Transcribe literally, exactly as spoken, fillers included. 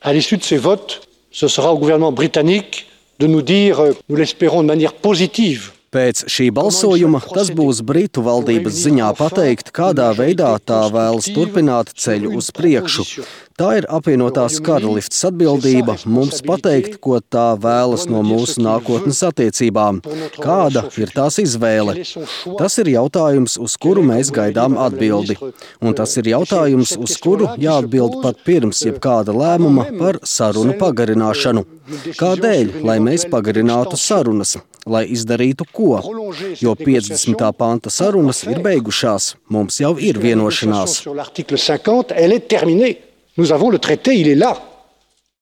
À l'issue de ces votes, ce sera au gouvernement britannique de nous dire, nous l'espérons de manière positive. Pēc šī balsojuma tas būs Britu valdības ziņā pateikt, kādā veidā tā vēlas turpināt ceļu uz priekšu. Tā ir apvienotās karalistes atbildība mums pateikt, ko tā vēlas no mūsu nākotnes attiecībām. Kāda ir tās izvēle? Tas ir jautājums, uz kuru mēs gaidām atbildi. Un tas ir jautājums, uz kuru jāatbild pat pirms jebkāda lēmuma par sarunu pagarināšanu. Kādēļ, lai mēs pagarinātu sarunas? Lai izdarītu ko? Jo piecdesmitā panta sarunas ir beigušās. Mums jau ir vienošanās. Nous avons le traité, il est là.